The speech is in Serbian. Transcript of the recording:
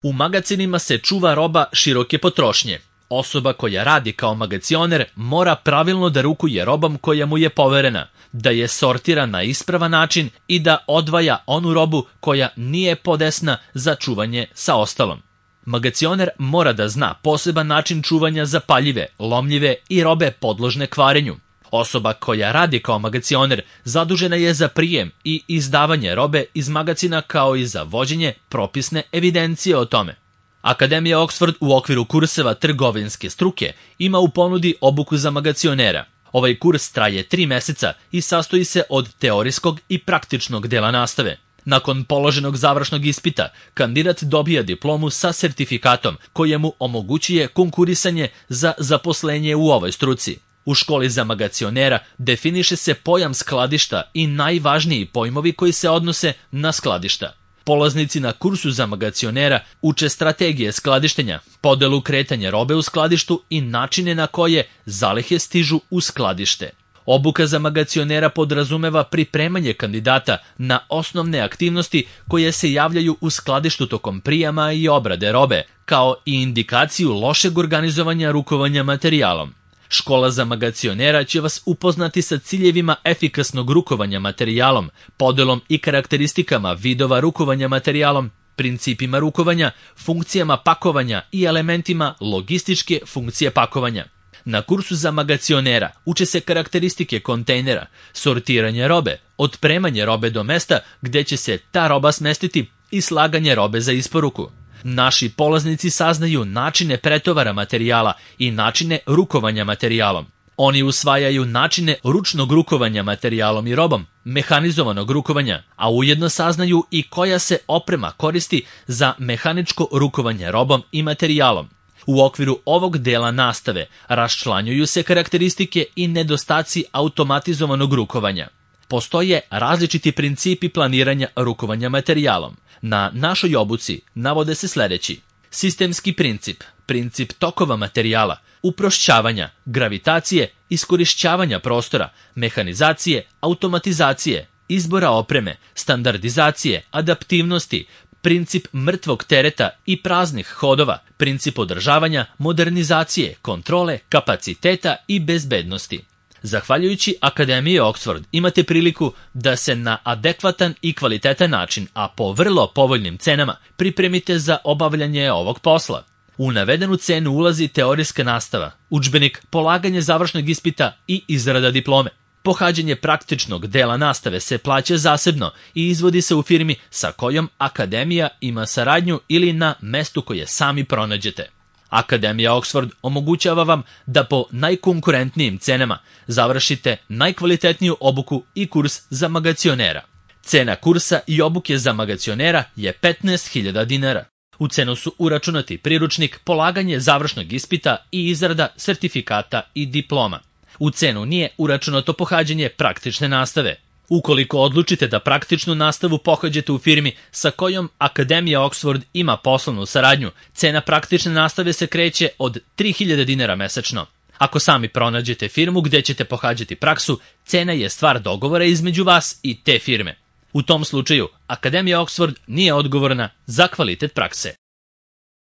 U magacinima se čuva roba široke potrošnje. Osoba koja radi kao magacioner mora pravilno da rukuje robom koja mu je poverena, da je sortira na ispravan način i da odvaja onu robu koja nije podesna za čuvanje sa ostalom. Magacioner mora da zna poseban način čuvanja za paljive, lomljive i robe podložne kvarenju. Osoba koja radi kao magacioner zadužena je za prijem i izdavanje robe iz magacina kao i za vođenje propisne evidencije o tome. Akademija Oxford u okviru kurseva trgovinske struke ima u ponudi obuku za magacionera. Ovaj kurs traje 3 meseca i sastoji se od teorijskog i praktičnog dela nastave. Nakon položenog završnog ispita, kandidat dobija diplomu sa sertifikatom koje mu omogućuje konkurisanje za zaposlenje u ovoj struci. U školi za magacionera definiše se pojam skladišta i najvažniji pojmovi koji se odnose na skladišta. Polaznici na kursu za magacionera uče strategije skladištenja, podelu kretanja robe u skladištu i načine na koje zalihe stižu u skladište. Obuka za magacionera podrazumeva pripremanje kandidata na osnovne aktivnosti koje se javljaju u skladištu tokom prijama i obrade robe, kao i indikaciju lošeg organizovanja rukovanja materijalom. Škola za magacionera će vas upoznati sa ciljevima efikasnog rukovanja materijalom, podelom i karakteristikama vidova rukovanja materijalom, principima rukovanja, funkcijama pakovanja i elementima logističke funkcije pakovanja. Na kursu za magacionera uče se karakteristike kontejnera, sortiranje robe, otpremanje robe do mesta gde će se ta roba smestiti i slaganje robe za isporuku. Naši polaznici saznaju načine pretovara materijala i načine rukovanja materijalom. Oni usvajaju načine ručnog rukovanja materijalom i robom, mehanizovanog rukovanja, a ujedno saznaju i koja se oprema koristi za mehaničko rukovanje robom i materijalom. U okviru ovog dela nastave raščlanjuju se karakteristike i nedostaci automatizovanog rukovanja. Postoje različiti principi planiranja rukovanja materijalom. Na našoj obuci navode se sledeći: sistemski princip, princip tokova materijala, uprošćavanja, gravitacije, iskorišćavanja prostora, mehanizacije, automatizacije, izbora opreme, standardizacije, adaptivnosti, princip mrtvog tereta i praznih hodova, princip održavanja, modernizacije, kontrole, kapaciteta i bezbednosti. Zahvaljujući Akademiji Oxford imate priliku da se na adekvatan i kvalitetan način, a po vrlo povoljnim cenama, pripremite za obavljanje ovog posla. U navedenu cenu ulazi teorijska nastava, udžbenik, polaganje završnog ispita i izrada diplome. Pohađanje praktičnog dela nastave se plaća zasebno i izvodi se u firmi sa kojom Akademija ima saradnju ili na mestu koje sami pronađete. Akademija Oxford omogućava vam da po najkonkurentnijim cenama završite najkvalitetniju obuku i kurs za magacionera. Cena kursa i obuke za magacionera je 15.000 dinara. U cenu su uračunati priručnik, polaganje završnog ispita i izrada sertifikata i diploma. U cenu nije uračunato pohađanje praktične nastave. Ukoliko odlučite da praktičnu nastavu pohađate u firmi sa kojom Akademija Oxford ima poslovnu saradnju, cena praktične nastave se kreće od 3.000 dinara mesečno. Ako sami pronađete firmu gde ćete pohađati praksu, cena je stvar dogovora između vas i te firme. U tom slučaju, Akademija Oxford nije odgovorna za kvalitet prakse.